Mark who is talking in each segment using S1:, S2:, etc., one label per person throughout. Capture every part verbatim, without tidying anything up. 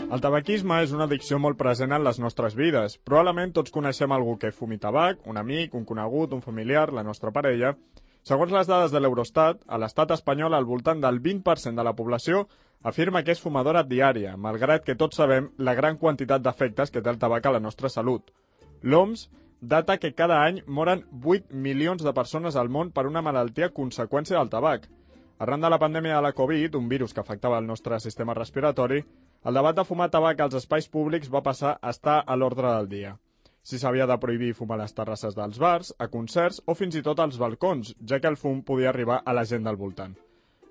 S1: El tabaquisme és una addicció molt present en les nostres vides. Probablement tots coneixem algú que fumi tabac, un amic, un conegut, un familiar, la nostra parella. Segons les dades de l'Eurostat, a l'estat espanyol al voltant del vint per cent de la població afirma que és fumadora diària, malgrat que tots sabem la gran quantitat d'efectes que té el tabac a la nostra salut. L'O M S data que cada any moren vuit milions de persones al món per una malaltia a conseqüència del tabac. Arran de la pandèmia de la Covid, un virus que afectava el nostre sistema respiratori, el debat de fumar tabac als espais públics va passar a estar a l'ordre del dia. Si s'havia de prohibir fumar a les terrasses dels bars, a concerts o fins i tot als balcons, ja que el fum podia arribar a la gent del voltant.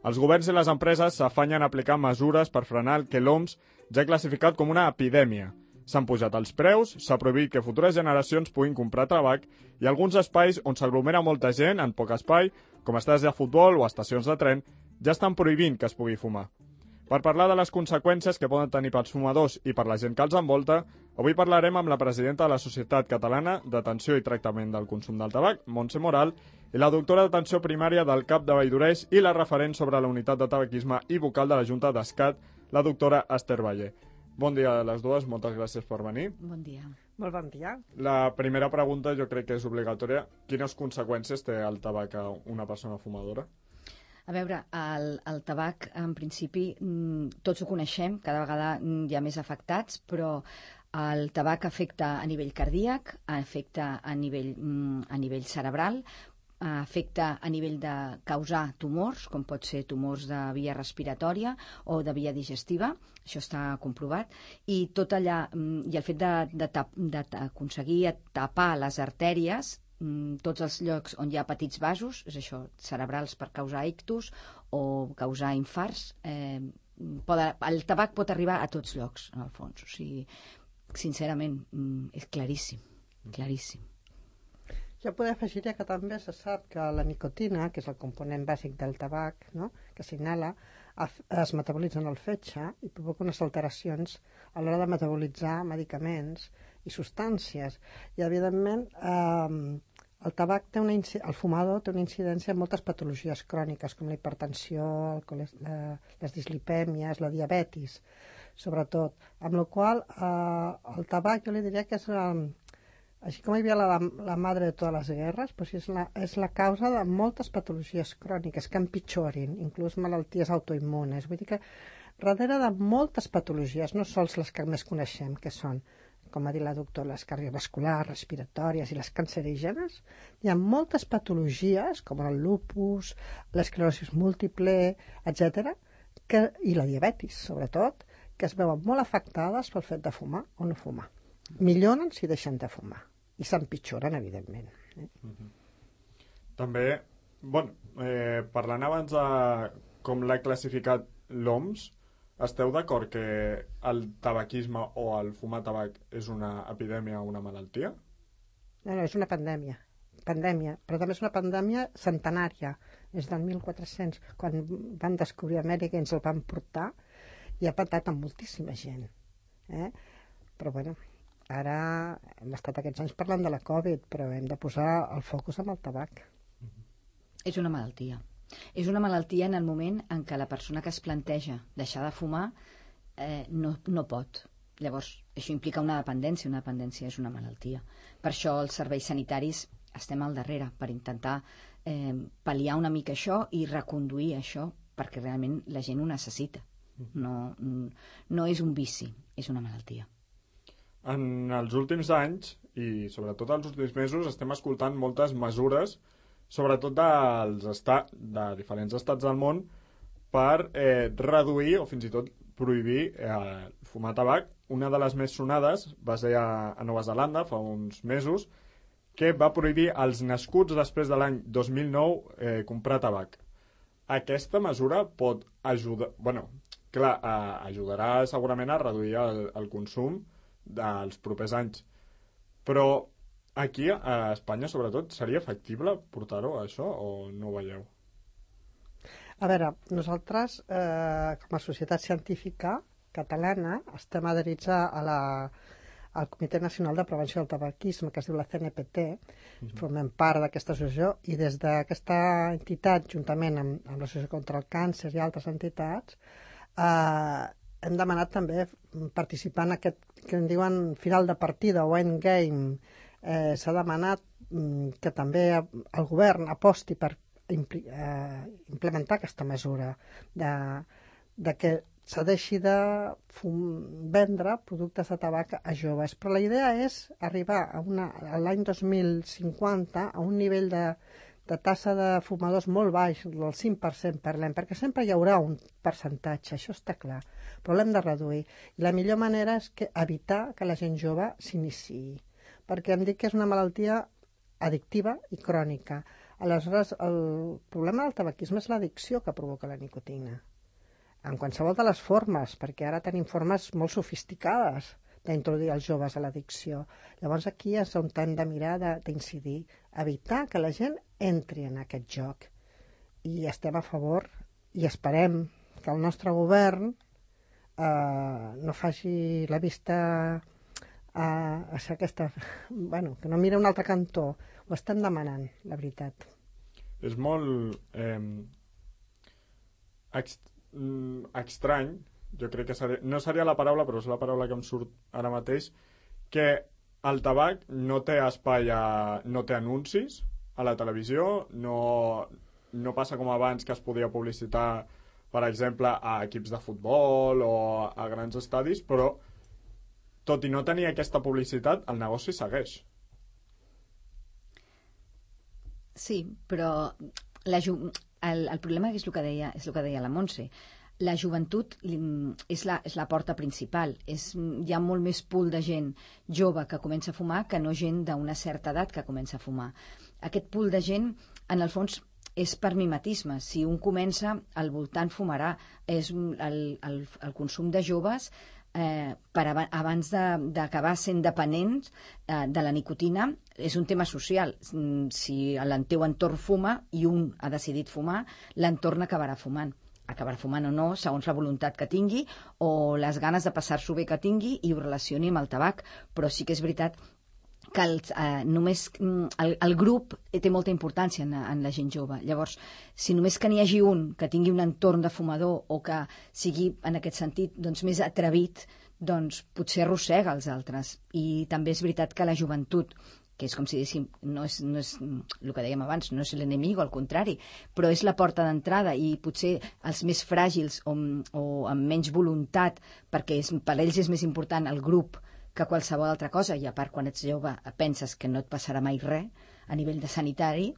S1: Els governs i les empreses s'afanyen a aplicar mesures per frenar el que l'O M S ja ha classificat com una epidèmia. S'han pujat els preus, s'ha prohibit que futures generacions puguin comprar tabac i alguns espais on s'aglomera molta gent en poc espai, com estades de futbol o estacions de tren, ja estan prohibint que es pugui fumar. Per parlar de les conseqüències que poden tenir pels fumadors i per la gent que els envolta, avui parlarem amb la presidenta de la Societat Catalana d'Atenció i Tractament del Consum del Tabac, Montse Moral, i la doctora d'atenció primària del CAP de Valldoreix i la referent sobre la unitat de tabaquisme i vocal de la Junta d'Escat, la doctora Esther Valle. Bon dia a les dues, moltes gràcies per venir.
S2: Bon dia.
S3: Molt bon dia.
S1: La primera pregunta jo crec que és obligatòria. Quines conseqüències té el tabac a una persona fumadora?
S2: A veure, el, el tabac, en principi, tots ho coneixem, cada vegada hi ha més afectats, però el tabac afecta a nivell cardíac, afecta a nivell, a nivell cerebral, afecta a nivell de causar tumors, com pot ser tumors de via respiratòria o de via digestiva, això està comprovat, i tot allà, i el fet d'aconseguir tapar les artèries, tots els llocs on hi ha petits vasos, és això, cerebrals per causar ictus o causar infarts, eh, pot, el tabac pot arribar a tots llocs, en el fons. O sigui, sincerament, és claríssim, claríssim.
S3: Jo podria afegir que també se sap que la nicotina, que és el component bàsic del tabac, no?, que s'inhala, es metabolitza en el fetge i provoca unes alteracions a l'hora de metabolitzar medicaments i substàncies. I, evidentment, eh, el tabac té una el fumador té una incidència en moltes patologies cròniques, com la hipertensió, el la, les dislipèmies, la diabetis, sobretot. Amb la qual eh, el tabac jo li diria que és... Eh, Així com hi havia la, la madre de totes les guerres, doncs és, la, és la causa de moltes patologies cròniques que empitjorin, inclús malalties autoimmunes. Vull dir que darrere de moltes patologies, no sols les que més coneixem, que són, com ha dit la doctora, les cardiovasculars, respiratòries i les cancerígenes, hi ha moltes patologies, com el lupus, l'esclerosi múltiple, etcètera, que, i la diabetis, sobretot, que es veuen molt afectades pel fet de fumar o no fumar. Milloren si deixen de fumar i s'empitjoren, evidentment. Eh?
S1: Mm-hmm. També, bueno, eh, parlant abans de com l'ha classificat l'O M S, esteu d'acord que el tabaquisme o el fumar tabac és una epidèmia o una malaltia?
S3: No, no, és una pandèmia. Pandèmia, però també és una pandèmia centenària. És del mil quatre-cents, quan van descobrir Amèrica i ens el van portar, i ha patat amb moltíssima gent. Eh? Però, bueno, ara hem estat aquests anys parlant de la Covid, però hem de posar el focus en el tabac.
S2: És una malaltia. És una malaltia en el moment en què la persona que es planteja deixar de fumar eh, no, no pot. Llavors, això implica una dependència. Una dependència és una malaltia. Per això els serveis sanitaris estem al darrere, per intentar eh, pal·liar una mica això i reconduir això, perquè realment la gent ho necessita. No, no és un vici, és una malaltia.
S1: En els últims anys, i sobretot els últims mesos, estem escoltant moltes mesures, sobretot dels estats, de diferents estats del món, per eh, reduir o fins i tot prohibir eh, fumar tabac. Una de les més sonades va ser a, a Nova Zelanda fa uns mesos, que va prohibir als nascuts després de l'any dos mil nou eh, comprar tabac. Aquesta mesura pot ajudar... Bueno, clar, eh, ajudarà segurament a reduir el, el consum dels propers anys. Però aquí, a Espanya, sobretot, seria factible portar-ho, això, o no ho veieu?
S3: A veure, nosaltres, eh, com a societat científica catalana, estem adherits a la, al Comitè Nacional de Prevenció del Tabaquisme, que es diu la C N P T, mm-hmm. formem part d'aquesta associació, i des d'aquesta entitat, juntament amb, amb l'Associació contra el Càncer i altres entitats, eh, hem demanat també participar en aquest que en diuen final de partida o endgame. Eh, S'ha demanat mm, que també el govern aposti per impli eh, implementar aquesta mesura de, de que s'ha deixi de vendre productes de tabac a joves. Però la idea és arribar a, una, a l'any dos mil cinquanta a un nivell de, de tassa de fumadors molt baix, del cinc per cent parlem, perquè sempre hi haurà un percentatge, això està clar, però l'hem de reduir. I la millor manera és que evitar que la gent jove s'iniciï, perquè em dic que és una malaltia addictiva i crònica. Aleshores, el problema del tabaquisme és l'addicció que provoca la nicotina, en qualsevol de les formes, perquè ara tenim formes molt sofisticades d'introduir els joves a l'addicció. Llavors aquí és on hem de mirar d'incidir, evitar que la gent entri en aquest joc. I estem a favor i esperem que el nostre govern eh, no faci la vista a, a ser aquesta... Bueno, que no mira un altre cantó. Ho estem demanant, la veritat.
S1: És molt eh, ext estrany, jo crec que seria, no seria la paraula, però és la paraula que em surt ara mateix, que el tabac no té espai, a, no té anuncis a la televisió, no, no passa com abans que es podia publicitar, per exemple, a equips de futbol o a grans estadis, però tot i no tenir aquesta publicitat, el negoci segueix.
S2: Sí, però la el, el problema és el que deia, és el que deia la Montse. La joventut és la, és la porta principal. És, hi ha molt més pool de gent jove que comença a fumar que no gent d'una certa edat que comença a fumar. Aquest pool de gent, en el fons, és per mimetisme. Si un comença, al voltant fumarà. És el, el, el consum de joves eh, per ab abans d'acabar sent dependents eh, de la nicotina és un tema social. Si el teu entorn fuma i un ha decidit fumar, l'entorn acabarà fumant. Acabarà fumant o no, segons la voluntat que tingui o les ganes de passar-s'ho bé que tingui i ho relacioni amb el tabac. Però sí que és veritat que el, eh, només el, el grup té molta importància en, en la gent jove. Llavors, si només que n'hi hagi un que tingui un entorn de fumador o que sigui, en aquest sentit, doncs, més atrevit, doncs potser arrossega els altres. I també és veritat que la joventut, que és com si diguéssim, no és, no és el que dèiem abans, no és l'enemic, al contrari, però és la porta d'entrada i potser els més fràgils o, o amb menys voluntat, perquè és, per ells és més important el grup que qualsevol altra cosa, i a part quan ets jove penses que no et passarà mai res a nivell de sanitari,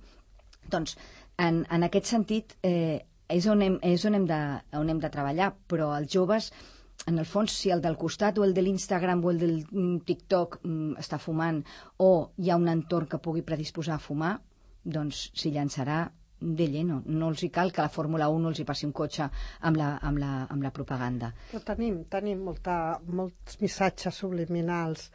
S2: doncs en, en aquest sentit eh, és, on hem, és on hem, de, on hem de treballar, però els joves, en el fons, si el del costat o el de l'Instagram o el del TikTok mm, està fumant o hi ha un entorn que pugui predisposar a fumar, doncs s'hi llançarà de lleno. No els hi cal que la Fórmula un no els hi passi un cotxe amb la, amb la, amb la propaganda.
S3: Però tenim, tenim molta, molts missatges subliminals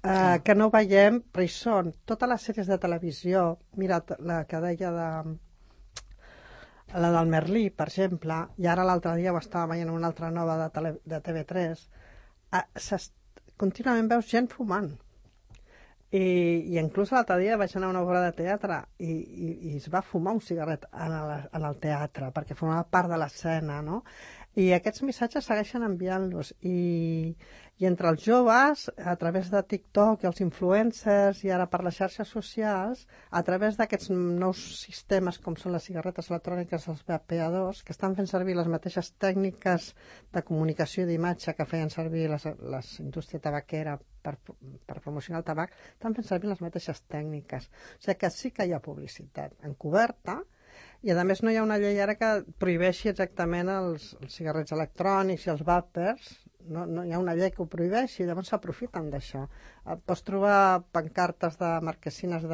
S3: eh, que no veiem, però hi són. Totes les sèries de televisió, mira, la que deia de... la del Merlí, per exemple, i ara l'altre dia ho estava veient una altra nova de, tele, de T V tres, eh, contínuament veus gent fumant. I, i inclús l'altre dia vaig anar a una obra de teatre i, i, i es va fumar un cigarret en el, en el teatre, perquè formava part de l'escena, no? I aquests missatges segueixen enviant-los. I, I entre els joves, a través de TikTok i els influencers, i ara per les xarxes socials, a través d'aquests nous sistemes com són les cigarretes electròniques, els vapeadors, que estan fent servir les mateixes tècniques de comunicació d'imatge que feien servir les, les indústria tabaquera per, per promocionar el tabac, estan fent servir les mateixes tècniques. O sigui que sí que hi ha publicitat encoberta. I a més no hi ha una llei ara que prohibeixi exactament els, els cigarrets electrònics i els vapers, no, no hi ha una llei que ho prohibeixi, llavors s'aprofiten d'això. Pots trobar pancartes de marquesines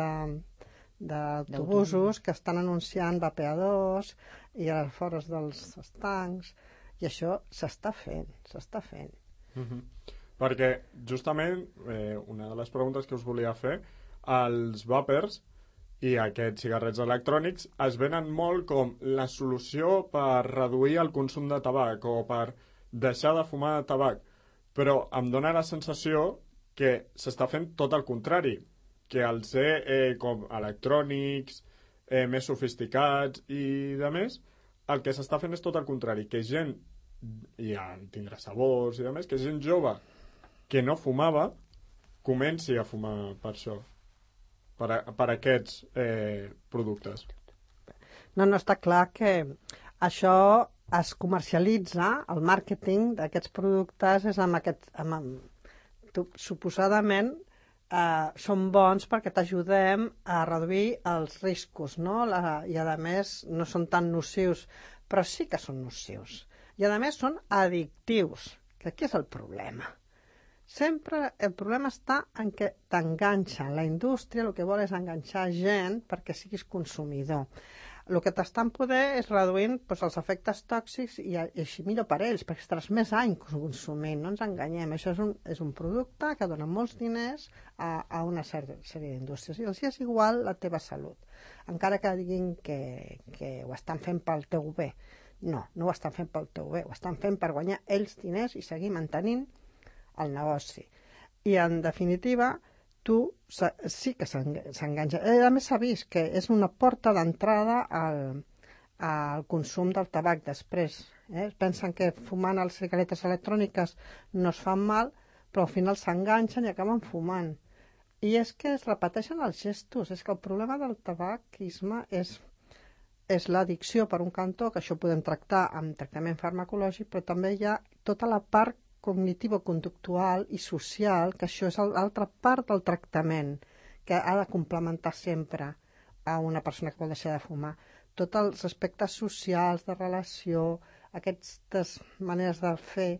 S3: d'autobusos que estan anunciant vapeadors i a les vores dels estancs, i això s'està fent, s'està fent.
S1: Mm-hmm. Perquè justament eh, una de les preguntes que us volia fer, els vapers i aquests cigarrets electrònics es venen molt com la solució per reduir el consum de tabac o per deixar de fumar tabac, però em dóna la sensació que s'està fent tot el contrari, que al ser eh, com electrònics, eh, més sofisticats i de més, el que s'està fent és tot el contrari, que gent i a tindrà sabors i demés, que gent jove que no fumava comenci a fumar per això, per, a, per aquests eh, productes.
S3: No, no, està clar que això es comercialitza, el màrqueting d'aquests productes és amb aquest... Amb, amb, tu, suposadament eh, són bons perquè t'ajudem a reduir els riscos, no? La, i a més no són tan nocius, però sí que són nocius. I a més són addictius, que aquí és el problema. Sempre el problema està en què t'enganxen. La indústria el que vol és enganxar gent perquè siguis consumidor. El que t'estan poder és reduint doncs, els efectes tòxics i, i així millor per ells, perquè estaràs més anys consumint, no ens enganyem. Això és un, és un producte que dona molts diners a, a una sèrie, sèrie d'indústries i els és igual la teva salut. Encara que diguin que, que ho estan fent pel teu bé. No, no ho estan fent pel teu bé, ho estan fent per guanyar ells diners i seguir mantenint el negoci. I, en definitiva, tu sí que s'enganxa. A més, s'ha vist que és una porta d'entrada al, al consum del tabac després. Eh? Pensen que fumant les cigaretes electròniques no es fan mal, però al final s'enganxen i acaben fumant. I és que es repeteixen els gestos. És que el problema del tabaquisme és... és l'addicció per un cantó, que això ho podem tractar amb tractament farmacològic, però també hi ha tota la part cognitiva-conductual i social, que això és l'altra part del tractament, que ha de complementar sempre a una persona que vol deixar de fumar. Tots els aspectes socials, de relació, aquestes maneres de fer,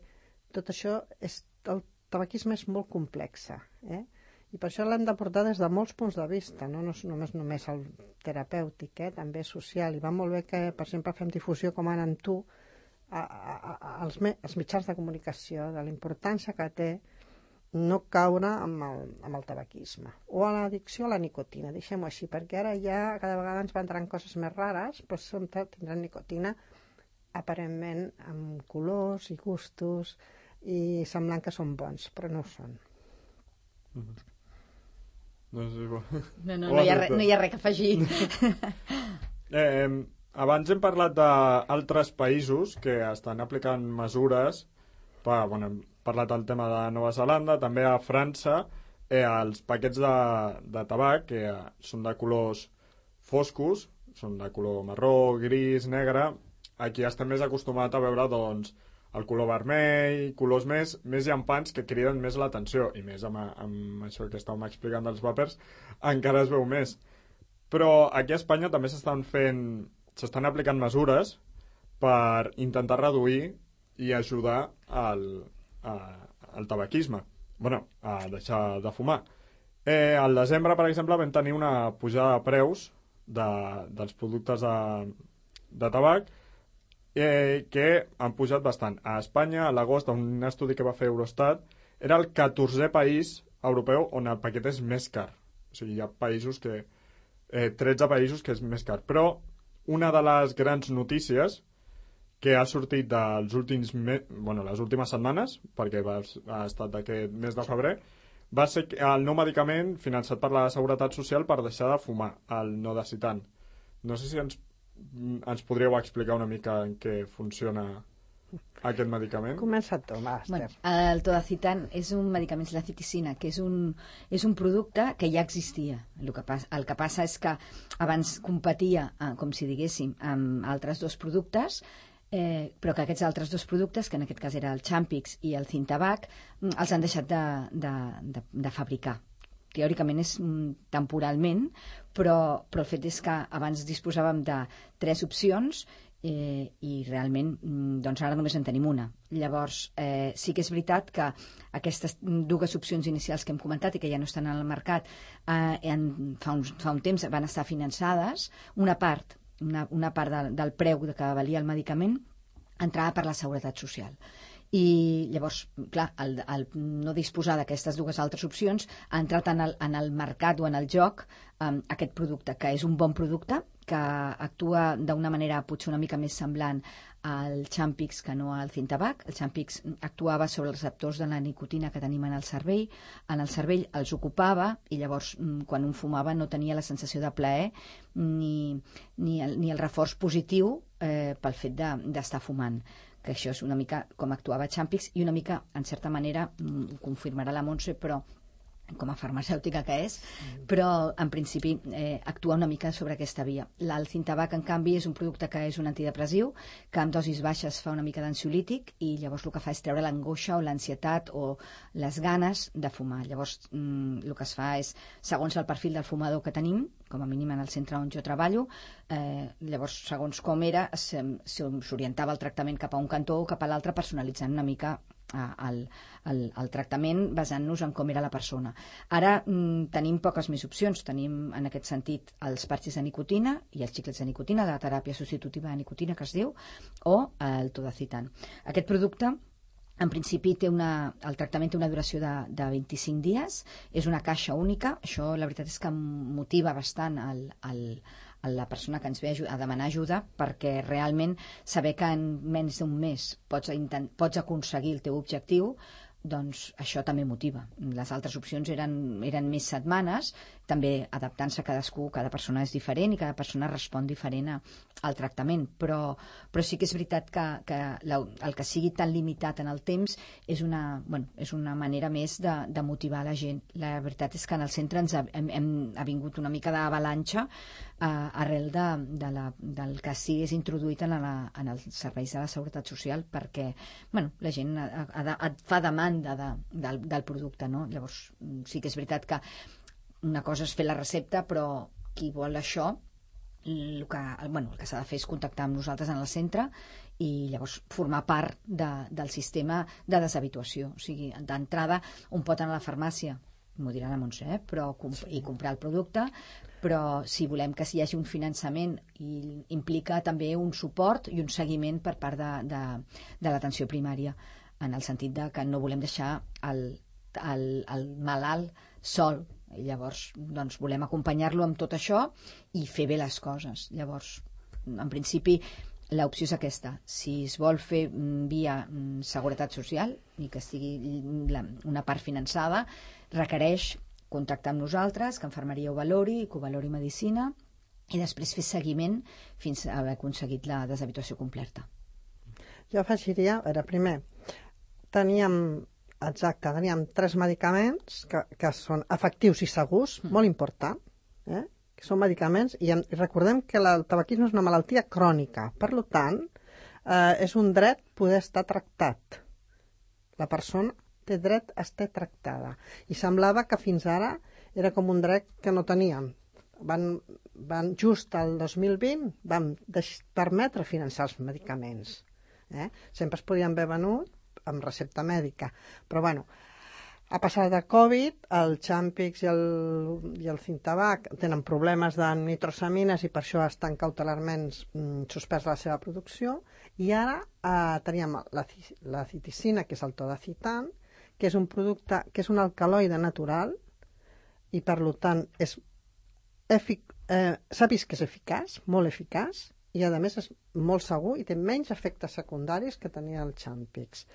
S3: tot això, és, el tabaquisme és molt complex, eh? I per això l'hem de portar des de molts punts de vista, no, no és només, només el terapèutic, eh? També social. I va molt bé que, per exemple, fem difusió com ara amb tu a, a, a, als, me, als mitjans de comunicació, de la importància que té no caure amb el, amb el tabaquisme. O a l'addicció a la nicotina, deixem-ho així, perquè ara ja cada vegada ens van entrant coses més rares, però sempre tindran nicotina aparentment amb colors i gustos i semblant que són bons, però no ho són.
S1: Mm-hmm. No, sé, bo.
S2: no, no, no, hi ha re, no hi ha res que afegir.
S1: eh, abans hem parlat d'altres països que estan aplicant mesures per, bueno, hem parlat del tema de Nova Zelanda, també a França eh, els paquets de, de tabac que eh, són de colors foscos, són de color marró, gris, negre. Aquí estem més acostumats a veure doncs el color vermell, colors més, més llampants que criden més l'atenció, i més amb, amb això que estàvem explicant dels vapers, encara es veu més. Però aquí a Espanya també s'estan fent, s'estan aplicant mesures per intentar reduir i ajudar al, a, al tabaquisme, bueno, a deixar de fumar. Eh, al desembre, per exemple, vam tenir una pujada de preus de, dels productes de, de tabac, Eh, que han pujat bastant. A Espanya, a l'agost, un estudi que va fer Eurostat, era el catorzè país europeu on el paquet és més car. O sigui, hi ha països que... Eh, tretze països que és més car. Però una de les grans notícies que ha sortit dels últims me... bueno, les últimes setmanes, perquè va, ha estat d'aquest mes de febrer, va ser el nou medicament finançat per la Seguretat Social per deixar de fumar, el Nodecitan. No sé si ens ens podríeu explicar una mica en què funciona aquest medicament?
S3: Comença tu, va, Esther.
S2: Bueno, el Todacitan és un medicament, la citicina, que és un, és un producte que ja existia. El que, passa, el que passa és que abans competia, eh, com si diguéssim, amb altres dos productes, eh, però que aquests altres dos productes, que en aquest cas era el Champix i el Cintabac, els han deixat de, de, de, de fabricar. Teòricament és mm, temporalment, però, però el fet és que abans disposàvem de tres opcions eh, i realment mm, doncs ara només en tenim una. Llavors, eh, sí que és veritat que aquestes dues opcions inicials que hem comentat i que ja no estan al mercat eh, en, fa, un, fa un temps van estar finançades, una part, una, una part del, del preu que valia el medicament entrava per la Seguretat Social. I llavors, clar, el, el no disposar d'aquestes dues altres opcions ha entrat en el, en el mercat o en el joc um, aquest producte, que és un bon producte, que actua d'una manera potser una mica més semblant al Champix que no al Cintabac. El Champix actuava sobre els receptors de la nicotina que tenim en el cervell, en el cervell els ocupava i llavors quan un fumava no tenia la sensació de plaer ni, ni, el, ni el reforç positiu eh, pel fet de, d'estar fumant. que això és una mica com actuava Champix i una mica, en certa manera, ho confirmarà la Montse, però com a farmacèutica que és, però en principi eh, actua una mica sobre aquesta via. El Cintabac, en canvi, és un producte que és un antidepressiu, que amb dosis baixes fa una mica d'ansiolític i llavors el que fa és treure l'angoixa o l'ansietat o les ganes de fumar. Llavors mm, el que es fa és, segons el perfil del fumador que tenim, com a mínim en el centre on jo treballo, eh, llavors segons com era s'orientava el tractament cap a un cantó o cap a l'altre, personalitzant una mica El, el, el tractament basant-nos en com era la persona. Ara mm, tenim poques més opcions. Tenim en aquest sentit els parxes de nicotina i els xiclets de nicotina, la teràpia substitutiva de nicotina que es diu, o el Todacitan. Aquest producte en principi té una, el tractament té una duració de, de vint-i-cinc dies, és una caixa única, això la veritat és que motiva bastant el, el, a la persona que ens ve a demanar ajuda, perquè realment saber que en menys d'un mes pots, intent, pots aconseguir el teu objectiu, doncs això també motiva. Les altres opcions eren, eren més setmanes, també adaptant-se a cadascú, cada persona és diferent i cada persona respon diferent a, al tractament, però, però sí que és veritat que, que la, el que sigui tan limitat en el temps és una, bueno, és una manera més de, de motivar la gent. La veritat és que en el centre ens ha, hem, hem, ha vingut una mica d'avalanxa eh, arrel de, de la, del que sí és introduït en, la, en els serveis de la Seguretat Social, perquè bueno, la gent ha, ha, ha, fa demanda de, del, del producte, no? Llavors sí que és veritat que una cosa és fer la recepta, però qui vol això, el que, bueno, el que s'ha de fer és contactar amb nosaltres en el centre i llavors formar part de, del sistema de deshabituació. O sigui, d'entrada, un pot anar a la farmàcia, m'ho dirà la Montse, eh? però, i comprar el producte, però si volem que hi hagi un finançament i implica també un suport i un seguiment per part de, de, de l'atenció primària, en el sentit de que no volem deixar el, el, el malalt sol. I llavors doncs, volem acompanyar-lo amb tot això i fer bé les coses. Llavors, en principi, l'opció és aquesta. Si es vol fer via Seguretat Social i que sigui la, una part finançada, requereix contactar amb nosaltres, que Infermeria ho valori, que ho valori Medicina, i després fer seguiment fins a haver aconseguit la deshabituació completa.
S3: Jo afegiria, a veure, primer, teníem... Exacte, teníem tres medicaments que, que són efectius i segurs, mm. molt important, eh? que són medicaments, i, en, i recordem que el tabaquisme és una malaltia crònica, per tant, eh, és un dret poder estar tractat. La persona té dret a estar tractada. I semblava que fins ara era com un dret que no teníem. Van, van just al dos mil vint van permetre finançar els medicaments. Eh? Sempre es podien haver venut amb recepta mèdica, però bueno, a passar de Covid, el Champix i el, i el Cintabac tenen problemes de nitrosamines i per això estan cautelarment mm, suspès la seva producció, i ara eh, teníem la, la citicina, que és el Todacitan, que és un producte, que és un alcaloide natural i per tant és efic, eh, s'ha vist que és eficaç, molt eficaç, i a més és molt segur i té menys efectes secundaris que tenia el Champix.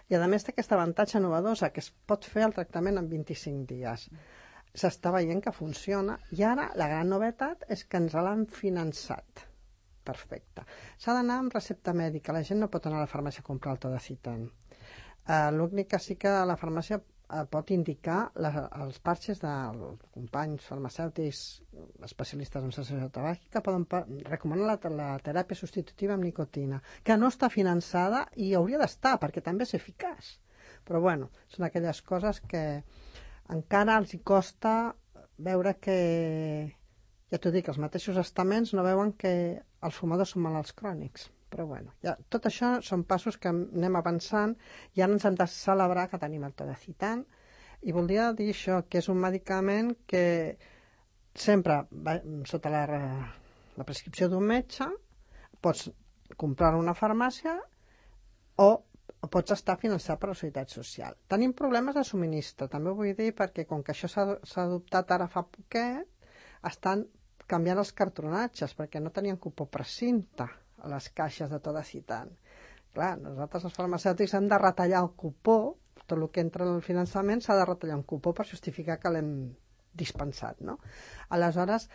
S3: I a més té aquest avantatge novedosa que es pot fer el tractament en vint-i-cinc dies. S'està veient que funciona i ara la gran novetat és que ens l'han finançat. Perfecte. S'ha d'anar amb recepta mèdica, la gent no pot anar a la farmàcia a comprar el Todacitan. Uh, L'únic que sí que la farmàcia uh, pot indicar la, els parxes dels companys farmacèutics especialistes en cessació tabàquica poden recomanar la, la teràpia substitutiva amb nicotina, que no està finançada i hauria d'estar perquè també és eficaç. Però bueno, són aquelles coses que encara els hi costa veure que, ja t'ho dic, els mateixos estaments no veuen que els fumadors són malalts crònics. Però bueno, ja, tot això són passos que anem avançant i ara ens hem de celebrar que tenim el Todacitan, i voldria dir això, que és un medicament que sempre va, sota la, la prescripció d'un metge, pots comprar-lo a una farmàcia o pots estar finançat per la Seguretat Social. Tenim problemes de subministre, també ho vull dir, perquè com que això s'ha adoptat ara fa poquet, estan canviant els cartronatges, perquè no tenien cupó precinta a les caixes de Todacitan. Clar, nosaltres els farmacèutics hem de retallar el cupó, tot el que entra en el finançament s'ha de retallar un cupó per justificar que l'hem dispensat, no? Aleshores,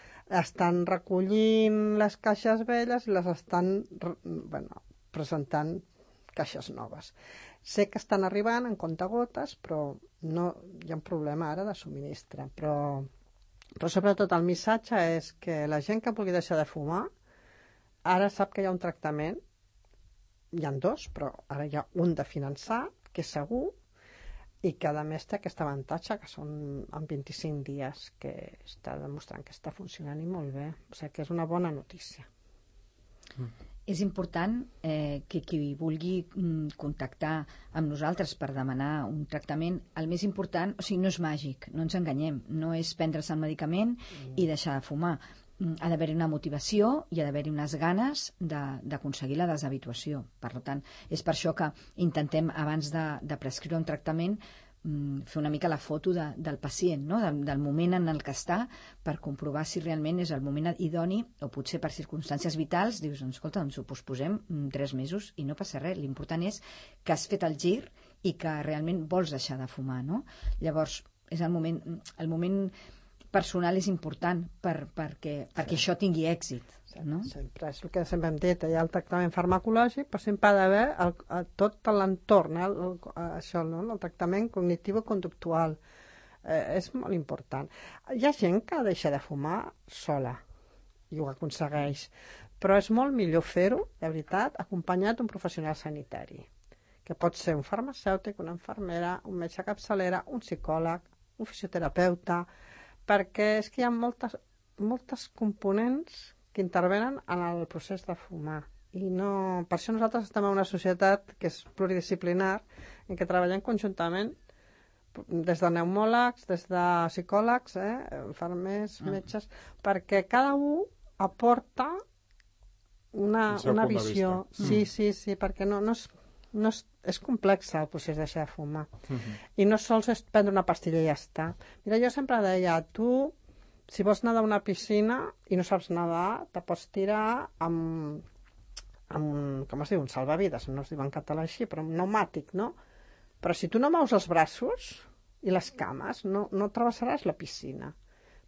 S3: estan recollint les caixes velles i les estan bueno, presentant caixes noves. Sé que estan arribant en comptagotes, però no, hi ha un problema ara de subministre. Però, però sobretot el missatge és que la gent que vulgui deixar de fumar ara sap que hi ha un tractament, hi ha dos, però ara hi ha un de finançar, que és segur, i que a més té aquest avantatge, que són en vint-i-cinc dies, que està demostrant que està funcionant i molt bé. O sigui que és una bona notícia.
S2: Mm. És important eh, que qui vulgui mm, contactar amb nosaltres per demanar un tractament, el més important, o sigui, no és màgic, no ens enganyem, no és prendre's el medicament mm. i deixar de fumar. Ha d'haver-hi una motivació i ha d'haver-hi unes ganes d'aconseguir la deshabituació. Per tant, és per això que intentem, abans de, de prescriure un tractament, fer una mica la foto de, del pacient, no? del, del moment en el que està, per comprovar si realment és el moment idoni, o potser per circumstàncies vitals, dius, doncs, escolta, ens ho posposem tres mesos i no passa res. L'important és que has fet el gir i que realment vols deixar de fumar, no? Llavors, és el moment... El moment personal és important per, perquè, perquè sí. Això tingui èxit. No?
S3: Sempre, és el que sempre hem dit, hi ha el tractament farmacològic, però sempre ha d'haver el, el, tot l'entorn, eh, el, això, no? El tractament cognitiu-conductual. Eh, és molt important. Hi ha gent que deixa de fumar sola i ho aconsegueix, però és molt millor fer-ho, de veritat, acompanyat d'un professional sanitari, que pot ser un farmacèutic, una infermera, un metge capçalera, un psicòleg, un fisioterapeuta, perquè és que hi ha moltes, moltes components que intervenen en el procés de fumar. I no... Per això nosaltres estem en una societat que és pluridisciplinar, en què treballem conjuntament des de pneumòlegs, des de psicòlegs, eh, infermers, metges, perquè cada un aporta una, una visió. Sí, sí, sí, perquè no, no és... No és, és complex el procés de deixar de fumar. Uh-huh. I no sols és prendre una pastilla i ja està. Mira, jo sempre deia, tu, si vols nedar a una piscina i no saps nedar, te pots tirar amb, amb com es diu, un salvavides, no es diu en català així, però un pneumàtic, no? Però si tu no mous els braços i les cames, no, no travessaràs la piscina.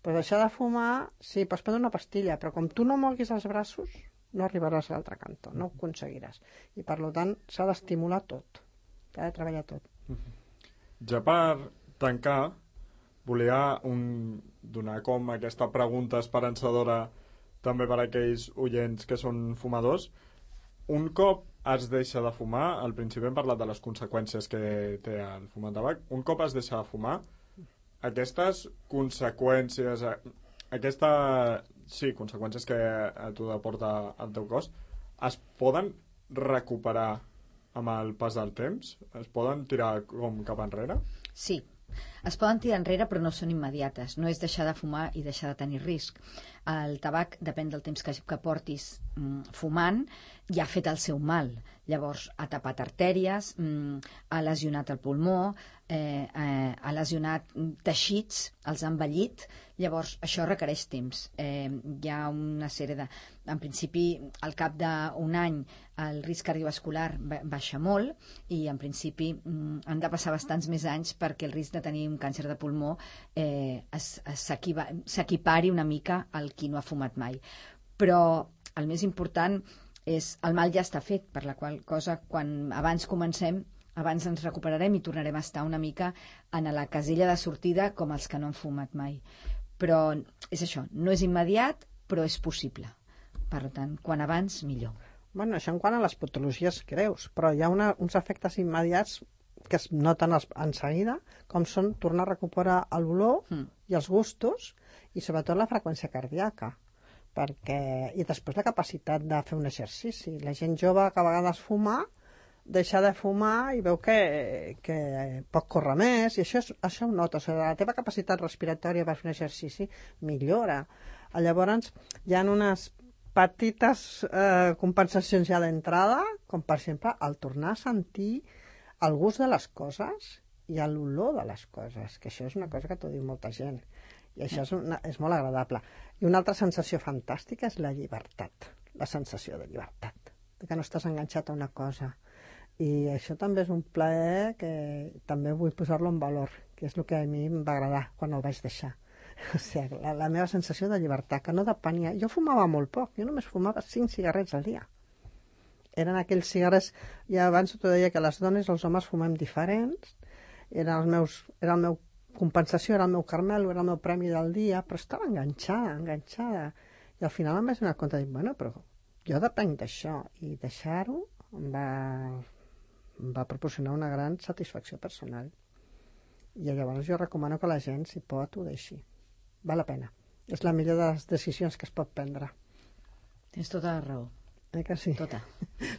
S3: Però deixar de fumar, sí, pots prendre una pastilla, però com tu no moguis els braços, no arribaràs a l'altre cantó, no ho aconseguiràs. I per tant s'ha d'estimular tot, s'ha de treballar tot.
S1: Ja per tancar, volia un, donar com aquesta pregunta esperançadora també per a aquells oients que són fumadors. Un cop es deixa de fumar, al principi hem parlat de les conseqüències que té el fumar de tabac, un cop es deixa de fumar, aquestes conseqüències, aquesta... Sí, conseqüències que a tu aporta el teu cos, es poden recuperar amb el pas del temps? Es poden tirar com cap enrere?
S2: Sí, es poden tirar enrere però no són immediates. No és deixar de fumar i deixar de tenir risc. El tabac, depèn del temps que, que portis mm, fumant, ja ha fet el seu mal. Llavors, ha tapat artèries, mm, ha lesionat el pulmó, eh, eh, ha lesionat teixits, els ha envellit. Llavors, això requereix temps. Eh, hi ha una sèrie de... En principi, al cap d'un any, el risc cardiovascular baixa molt i, en principi, mm, han de passar bastants més anys perquè el risc de tenir un càncer de pulmó eh, s'equipari una mica al qui no ha fumat mai. Però el més important és el mal ja està fet, per la qual cosa, quan abans comencem, abans ens recuperarem i tornarem a estar una mica en la casella de sortida com els que no han fumat mai. Però és això, no és immediat, però és possible. Per tant, quan abans, millor.
S3: Bueno, això en quant a les patologies greus, però hi ha una, uns efectes immediats que es noten en seguida, com són tornar a recuperar l'olor mm. i els gustos, i sobretot la freqüència cardíaca. Perquè... I després la capacitat de fer un exercici. La gent jove que a vegades fuma, deixa de fumar i veu que, que pot córrer més, i això, és, això ho notes. O sigui, la teva capacitat respiratòria per fer un exercici millora. Llavors, hi ha unes petites eh, compensacions ja d'entrada, com per exemple el tornar a sentir el gust de les coses i l'olor de les coses, que això és una cosa que t'ho diu molta gent. I això és, una, és molt agradable. I una altra sensació fantàstica és la llibertat, la sensació de llibertat, de que no estàs enganxat a una cosa. I això també és un plaer que també vull posar-lo en valor, que és el que a mi em va agradar quan el vaig deixar. O sigui, la, la meva sensació de llibertat, que no depenia... Jo fumava molt poc, jo només fumava cinc cigarrets al dia. eren aquells cigarres, ja abans t'ho deia que les dones, els homes fumem diferents, era, els meus, era el meu compensació, era el meu carmelo, era el meu premi del dia, però estava enganxada, enganxada. I al final em vaig donar compte de dir, bueno, però jo depenc d'això, i deixar-ho em va, em va proporcionar una gran satisfacció personal. I llavors jo recomano que la gent, si pot, ho deixi. Val la pena. És la millor de les decisions que es pot prendre.
S2: Tens tota la raó.
S3: Eh que sí?
S2: Tota.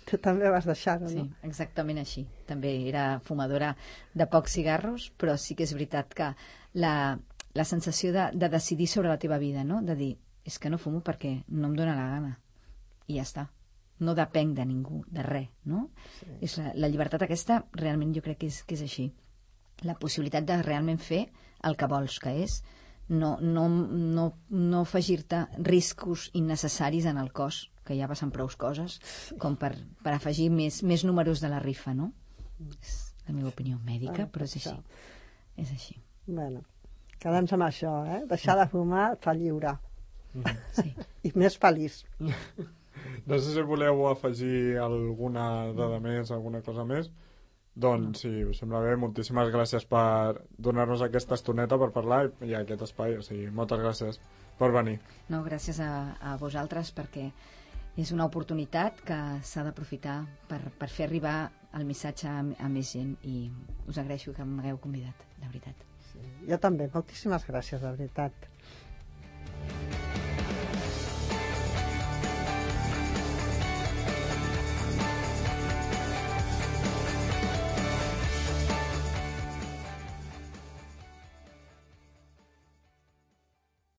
S3: Tu també vas deixar-ho,
S2: Sí,
S3: no?
S2: exactament així. També era fumadora de pocs cigarros, però sí que és veritat que la, la sensació de, de decidir sobre la teva vida, no? De dir, és que no fumo perquè no em dóna la gana. I ja està. No depenc de ningú, de res, no? Sí. És la, la llibertat aquesta, realment jo crec que és, que és així. La possibilitat de realment fer el que vols, que és no, no, no, no afegir-te riscos innecessaris en el cos, que ja passen prou coses, com per, per afegir més, més números de la rifa, no? És la meva opinió mèdica,
S3: Ah,
S2: però és
S3: això.
S2: així. És així.
S3: Bueno, quedem amb això, eh? Deixar de fumar et fa lliure.
S2: Sí.
S3: I més feliç.
S1: No sé si voleu afegir alguna dada més, alguna cosa més. Doncs, si us sembla bé, moltíssimes gràcies per donar-nos aquesta estoneta per parlar i, i aquest espai. O sigui, moltes gràcies per venir.
S2: No, gràcies a, a vosaltres, perquè és una oportunitat que s'ha d'aprofitar per, per fer arribar el missatge a, a més gent, i us agraeixo que m'hagueu convidat, de veritat.
S3: Sí, jo també, moltíssimes gràcies, de veritat.